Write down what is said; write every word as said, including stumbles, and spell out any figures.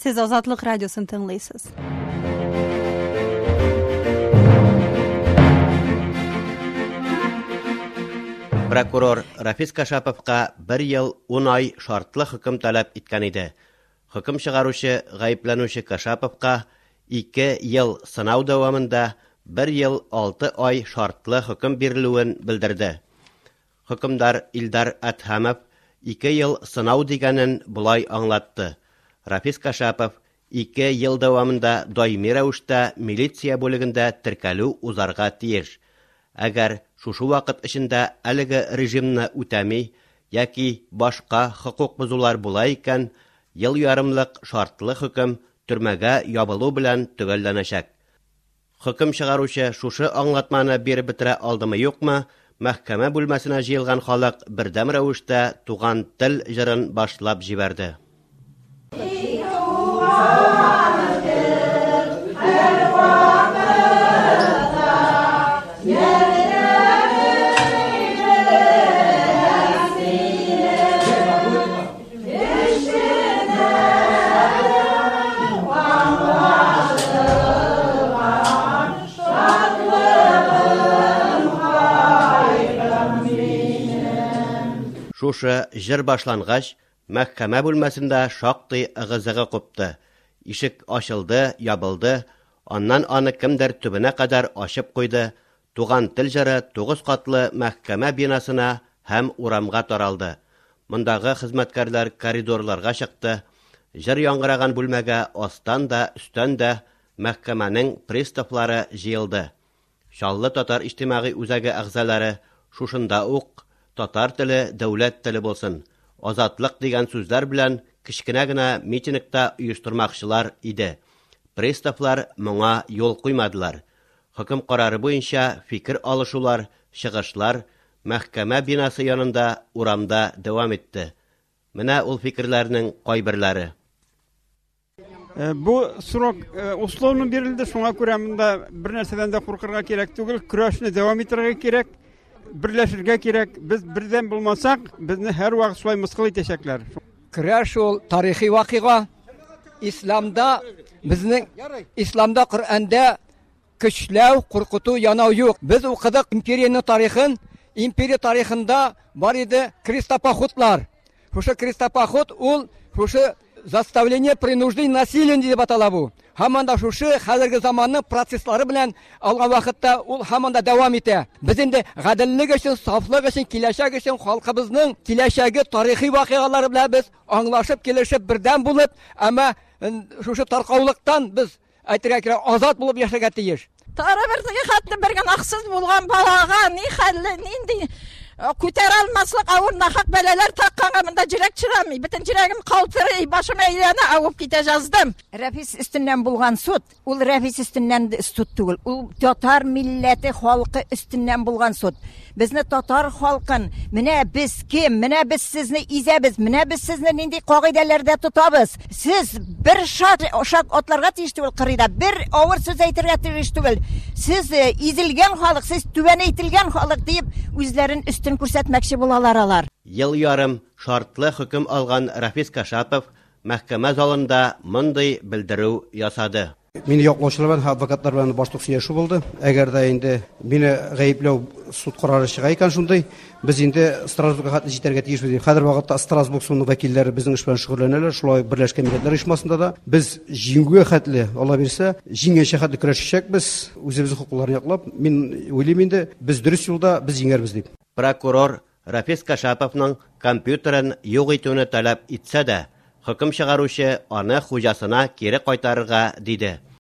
Сез Азатлык радиосын тыңлыйсыз. Прокурор Рафис Кашаповка бер ел ун ай шартлы хөкем таләп иткән иде. Хөкем чыгаручы гаепләнүче Кашаповка ике ел сынау дәвамында бер ел алты ай шартлы хөкем бирелүен белдерде. Хөкемдар Илдар Әдһәмов ике ел сынау дигәнен болай аңлатты. Рафис Кашапов ике ел дәвамында даими рәвештә милиция бүлегендә теркәлү узарга тиеш. Әгәр шушы вакыт эчендә әлеге режимны үтәми яки башка хокук бозулар була икән, ел ярымлык шартлы хөкем төрмәгә ябылу белән төгәлләнәчәк. Хөкем чыгаручы шушы аңлатманы биреп бетерә алдымы юкмы, мәхкәмә бүлмәсенә җыелган халык бердәм рәвештә Туган тел җырын башлап җибәрде. Шушы җыр башлангач, мәхкәмә бүлмәсендә шактый ыгы-зыгы купты. Ишек ачылды, ябылды, аннан аны кемдер төбенә кадәр ачып куйды. Туган тел җыры тугыз катлы мәхкәмә бинасына һәм урамга таралды. Мондагы хезмәткәрләр коридорларга чыкты. Җыр яңгыраган бүлмәгә астан да, өстән дә мәхкәмәнең приставлары җыелды. Чаллы татар иҗтимагый үзәге әгъзалары шушында ук татар теле дәүләт теле булсын, азатлык дигән сүзләр белән кечкенә генә митингта оештырмакчылар иде. Приставлар моңа юл куймадылар. Хөкем карары буенча фикер алышулар, чыгышлар мәхкәмә бинасы янында урамда дәвам итте. Менә ул фикерләрнең кайберләре. Бу срок условно бирелде, шуңа күрә монда бер нәрсәдән дә куркырга кирәк түгел, көрәшне дәвам итәргә кирәк. Берләшергә кирәк. Без бердәм булмасак, безне һәр вакыт шулай мыскыл итәчәкләр. Көрәш ул тарихи вакыйга. Исламда безнең Исламда Коръәндә көчләү, куркыту, янау юк. Без укыдык империянең тарихын. Империя тарихында бар иде крестопоходлар. Шушы крестопоход ул шушы заставление, принуждение, насилие дип атала бу. Һаман да шушы хәзерге заманның процесслары белән алган вакытта ул һаман да дәвам итә. Без инде гаделлек өчен, сафлык өчен, киләчәк өчен, халкыбызның киләчәге тарихи вакыйгалары белән без аңлашып, килешеп, бердәм булып, әмма шушы таркаулыктан без әйтергә кирәк, азат булып яшәргә тиеш. Тары бер теге хәтле бер гөнаһсыз булган балага ни хәлле, нинди күтәрә алмаслык авыр нахак бәлаләр такканга монда йөрәк чыдамый. Бөтен йөрәгем калтырый, башым әйләнә, авып китә язды. Рафис өстеннән булган суд, ул Рафис өстеннән суд түгел, ул татар милләте халкы өстеннән булган суд. Безне татар халкын, менә без кем, менә без сезне изәбез, менә без сезне нинди кагыйдәләрдә тотабыз. Сез бер шат, шат атларга тиеш түгел кырыйда, бер авыр сүз әйтергә тиеш түгел. Сез изелгән халык, сез түбән әйтелгән халык диеп үзләрен өстен күрсәтмәкче булалар алар. Ел ярым шартлы хөкем алган Рафис Кашапов мәхкәмә залында мондый белдерү ясады. Мине яклаучылар белән, адвокатлар белән башлык сөйләшү булды. Әгәр дә инде мине гаепләү суд карары чыга икән шундый, без инде Страсбургка хәтле җитәргә тиешбез. Хәзер вакытта Страсбург судының вәкилләре безнең эш белән шөгыльләнәләр, шулай ук Берләшкән Милләтләр Оешмасында да. Без җиңүгә хәтле, Алла бирсә, җиңгәнчә хәтле көрәшәчәкбез, үзебезнең хокукларны яклап. Мин уйлыйм инде, без дөрес юлда, без җиңәрбез дип. Прокурор Рафис Кашаповның компьютерын юк итүне таләп итсә дә, хөкем чыгаручы аны хуҗасына кире кайтарырга диде.